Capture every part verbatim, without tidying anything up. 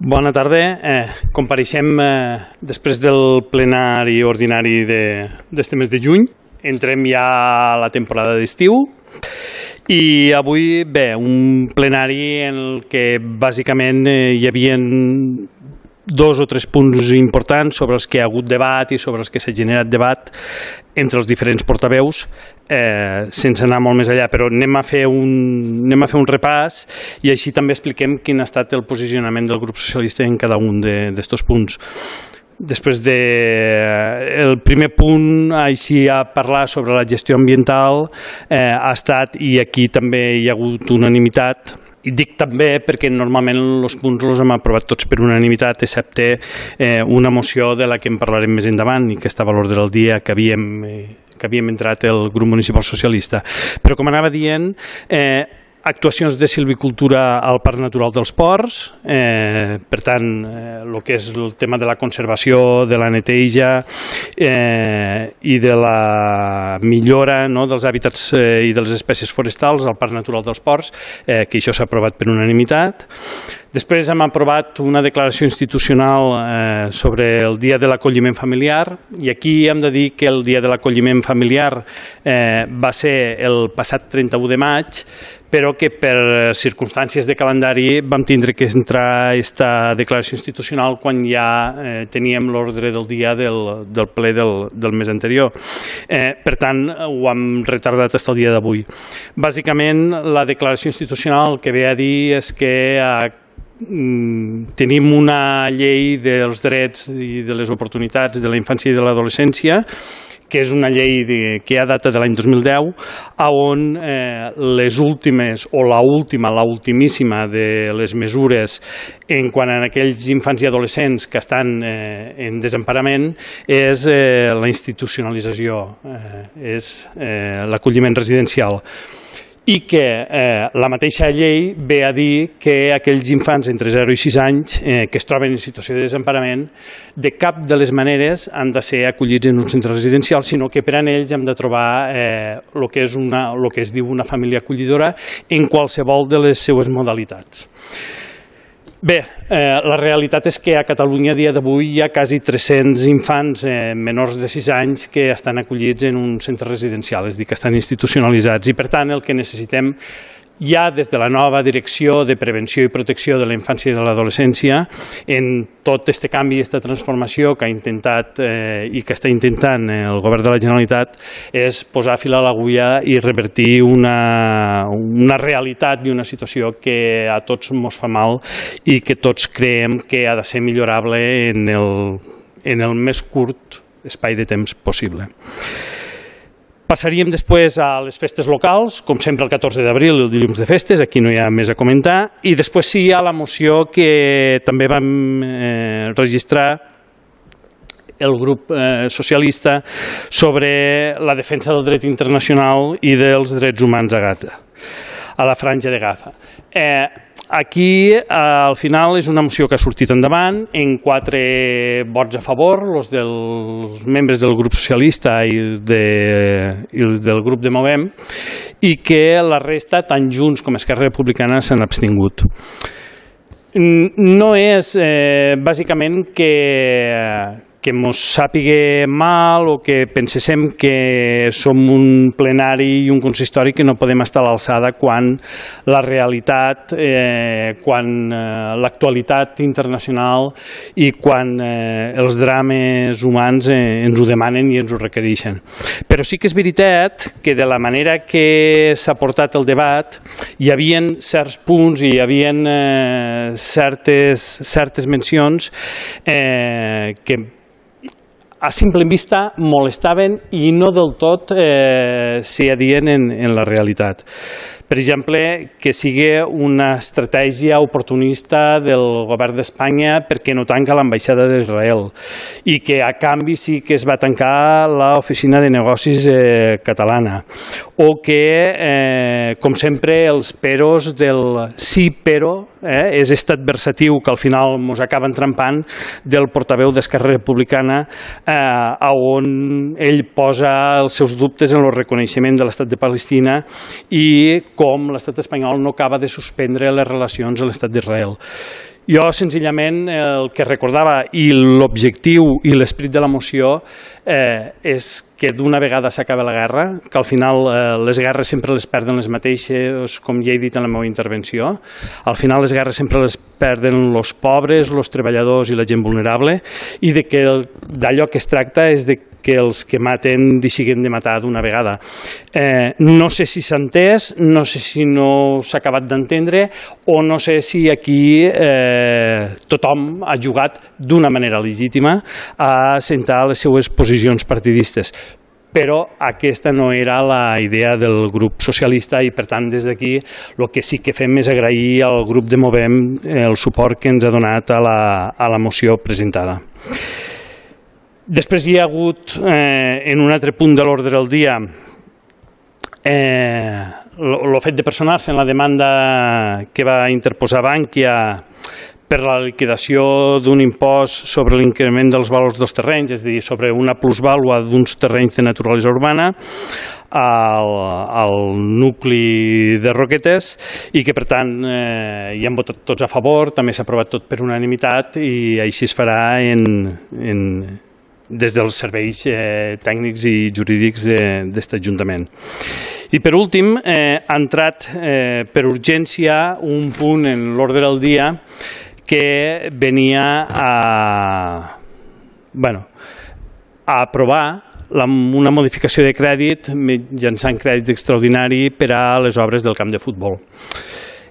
Bona tarda. Eh, compareixem eh, després del plenari ordinari d'este mes de juny. Entrem ja a la temporada d'estiu i avui, bé, un plenari en el que bàsicament eh, hi havia dos o tres punts importants sobre els que hi ha hagut debat i sobre els que s'ha generat debat entre els diferents portaveus, eh, sense anar molt més allà, però anem a fer un, anem a fer un repàs i així també expliquem quin ha estat el posicionament del grup socialista en cada un d'estos punts. Després de, el primer punt, així a parlar sobre la gestió ambiental, eh, ha estat, i aquí també hi ha hagut unanimitat, i dic també perquè normalment els punts els hem aprovat tots per unanimitat, excepte eh, una moció de la que en parlarem més endavant i que està a valor del dia que havíem, eh, que havíem entrat el grup municipal socialista. Però com anava dient, eh, actuacions de silvicultura al Parc Natural dels Ports, eh, per tant, eh, el que és el tema de la conservació, de la neteja eh, i de la millora, no, dels hàbitats eh, i de les espècies forestals al Parc Natural dels Ports, eh, que això s'ha aprovat per unanimitat. Després hem aprovat una declaració institucional eh, sobre el Dia de l'Acolliment Familiar i aquí hem de dir que el Dia de l'Acolliment Familiar eh, va ser el passat trenta-u de maig, però que per circumstàncies de calendari vam tindre que entrar aquesta declaració institucional quan ja eh, teníem l'ordre del dia del, del ple del, del mes anterior. Eh, per tant, ho hem retardat fins al dia d'avui. Bàsicament, la declaració institucional el que ve a dir és que a tenim una llei dels drets i de les oportunitats de la infància i de l'adolescència, que és una llei de, que ha data de l'any dos mil deu, on eh, les últimes, o la última, la ultimíssima de les mesures en quant a aquells infants i adolescents que estan eh, en desemparament és eh, la institucionalització, eh, és eh, l'acolliment residencial. I que eh, la mateixa llei ve a dir que aquells infants entre zero i sis anys eh, que es troben en situació de desemparament de cap de les maneres han de ser acollits en un centre residencial, sinó que per a ells hem de trobar eh, el que és una, el que es diu una família acollidora en qualsevol de les seues modalitats. Bé, eh, la realitat és que a Catalunya a dia d'avui hi ha quasi tres-cents infants eh, menors de sis anys que estan acollits en un centre residencial, és a dir, que estan institucionalitzats i per tant el que necessitem ja des de la nova direcció de prevenció i protecció de la infància i de l'adolescència en tot aquest canvi i aquesta transformació que ha intentat eh, i que està intentant el govern de la Generalitat és posar fil a l'agulla i revertir una, una realitat i una situació que a tots ens fa mal i que tots creiem que ha de ser millorable en el, en el més curt espai de temps possible. Passaríem després a les festes locals, com sempre el catorze d'abril, el dilluns de festes, aquí no hi ha més a comentar, i després sí hi ha la moció que també vam eh, registrar el grup eh, socialista sobre la defensa del dret internacional i dels drets humans a Gaza, a la franja de Gaza. Eh, Aquí, al final, és una moció que ha sortit endavant en quatre vots a favor, els dels membres del grup socialista i els, de, i els del grup de Movem, i que la resta, tant Junts com Esquerra Republicana, s'han abstingut. No és, eh, bàsicament, que... que ens sàpiga mal o que penséssim que som un plenari i un consistori que no podem estar a l'alçada quan la realitat, eh, quan eh, l'actualitat internacional i quan eh, els drames humans eh, ens ho demanen i ens ho requereixen. Però sí que és veritat que de la manera que s'ha portat el debat hi havia certs punts i hi havia eh, certes, certes mencions eh, que a simple vista molestaven i no del tot eh, s'hi adien en, en la realitat. Per exemple, que sigui una estratègia oportunista del govern d'Espanya perquè no tanca l'ambaixada d'Israel i que a canvi sí que es va tancar l'oficina de negocis eh, catalana o que, eh, com sempre, els peros del sí però eh, és estat versatiu que al final ens acaba entrampant del portaveu d'Esquerra Republicana eh, on ell posa els seus dubtes en el reconeixement de l'estat de Palestina i com l'estat espanyol no acaba de suspendre les relacions a l'estat d'Israel. Jo, senzillament, el que recordava i l'objectiu i l'esperit de la moció eh, és que d'una vegada s'acaba la guerra, que al final eh, les guerres sempre les perden les mateixes, com ja he dit en la meva intervenció. Al final les guerres sempre les perden els pobres, els treballadors i la gent vulnerable, i de que d'allò que es tracta és de que els que maten deixin de matar d'una vegada. Eh, no sé si s'ha entès, no sé si no s'ha acabat d'entendre, o no sé si aquí eh, tothom ha jugat d'una manera legítima a assentar les seues posicions partidistes. Però aquesta no era la idea del grup socialista i, per tant, des d'aquí el que sí que fem és agrair al grup de Movem el suport que ens ha donat a la, a la moció presentada. Després hi ha hagut, eh, en un altre punt de l'ordre del dia, eh, el fet de personar-se en la demanda que va interposar Bankia per la liquidació d'un impost sobre l'increment dels valors dels terrenys, és a dir, sobre una plusvàlua d'uns terrenys de naturalesa urbana al, al nucli de Roquetes, i que, per tant, eh, hi han votat tots a favor, també s'ha aprovat tot per unanimitat, i així es farà en... en des dels serveis eh, tècnics i jurídics d'aquest Ajuntament. I per últim, eh, ha entrat eh, per urgència un punt en l'ordre del dia que venia a, bueno, a aprovar la, una modificació de crèdit mitjançant crèdit extraordinari per a les obres del camp de futbol.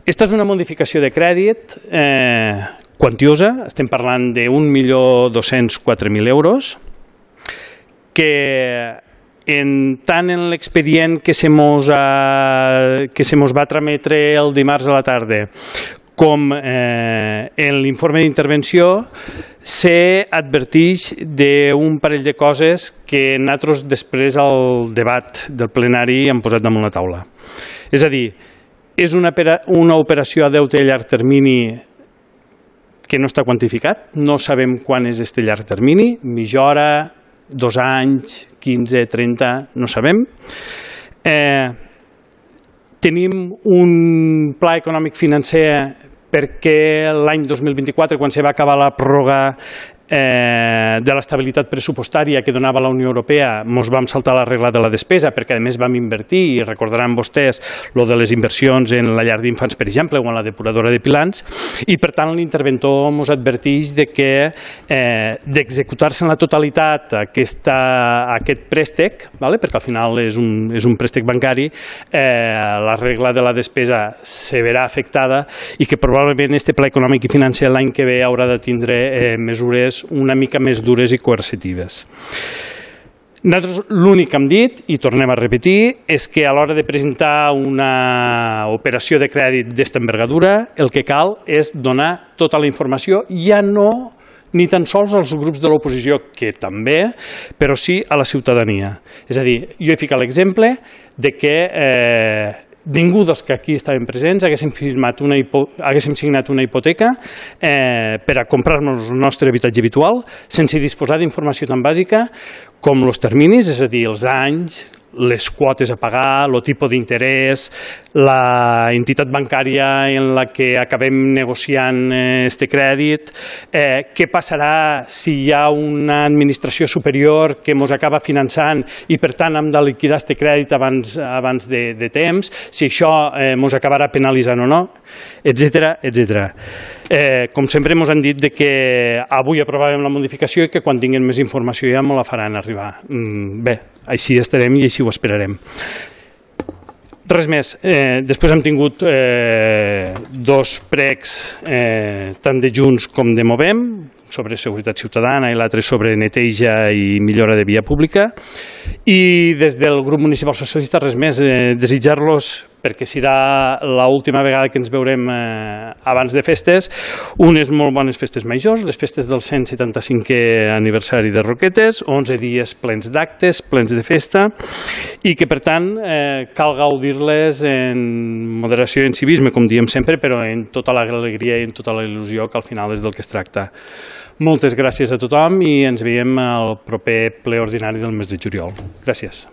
Aquesta és una modificació de crèdit eh, quantiosa, estem parlant d'un milió dos-cents quatre mil euros, que en tant en l'expedient que se mos, ha, que se mos va trametre el dimarts a la tarda com eh, en l'informe d'intervenció s'adverteix d'un parell de coses que nosaltres després al debat del plenari hem posat damunt la taula. És a dir, és una, una operació a deute a llarg termini que no està quantificat, no sabem quan és aquest llarg termini, mitja hora, dos anys, quinze, trenta, no sabem. Eh, tenim un pla econòmic financer perquè l'any dos mil vint-i-quatre, quan se va acabar la pròrroga eh, de l'estabilitat pressupostària que donava la Unió Europea, ens vam saltar la regla de la despesa, perquè a més vam invertir, i recordaran vostès lo de les inversions en la llar d'infants, per exemple, o en la depuradora de Pilans, i per tant l'interventor ens adverteix de que eh, d'executar-se en la totalitat aquesta, aquest préstec, vale? Perquè al final és un, és un préstec bancari, eh, la regla de la despesa se verà afectada, i que probablement este pla econòmic i financer l'any que ve haurà de tindre eh, mesures una mica més dures i coercitives. Nosaltres l'únic que hem dit, i tornem a repetir, és que a l'hora de presentar una operació de crèdit d'esta envergadura, el que cal és donar tota la informació, ja no ni tan sols als grups de l'oposició, que també, però sí a la ciutadania. És a dir, jo he ficat l'exemple de que eh, ningú dels que aquí estaven presents haguéssim, firmat una hipo, haguéssim signat una hipoteca eh, per a comprar-nos el nostre habitatge habitual sense disposar d'informació tan bàsica com els terminis, és a dir, els anys, les quotes a pagar, el tipus d'interès, la entitat bancària en la que acabem negociant este crèdit, eh, què passarà si hi ha una administració superior que ens acaba finançant i per tant hem de liquidar este crèdit abans, abans de, de temps, si això ens eh, acabarà penalitzant o no, etcètera, etcètera. Eh, com sempre ens han dit de que avui aprovarem la modificació i que quan tinguem més informació ja ens la faran arribar. Mm, bé, així estarem i així ho esperarem. Res més. Eh, després hem tingut eh, dos pregs, eh, tant de Junts com de Movem, sobre seguretat ciutadana i l'altre sobre neteja i millora de via pública. I des del grup municipal socialista res més, eh, desitjar-los, perquè serà l'última vegada que ens veurem eh, abans de festes, unes molt bones festes majors, les festes del cent setanta-cinquè aniversari de Roquetes, onze dies plens d'actes, plens de festa, i que per tant eh, cal gaudir-les en moderació i en civisme, com diem sempre, però en tota l'alegria i en tota la il·lusió, que al final és del que es tracta. Moltes gràcies a tothom i ens veiem al proper ple ordinari del mes de juliol. Gràcies.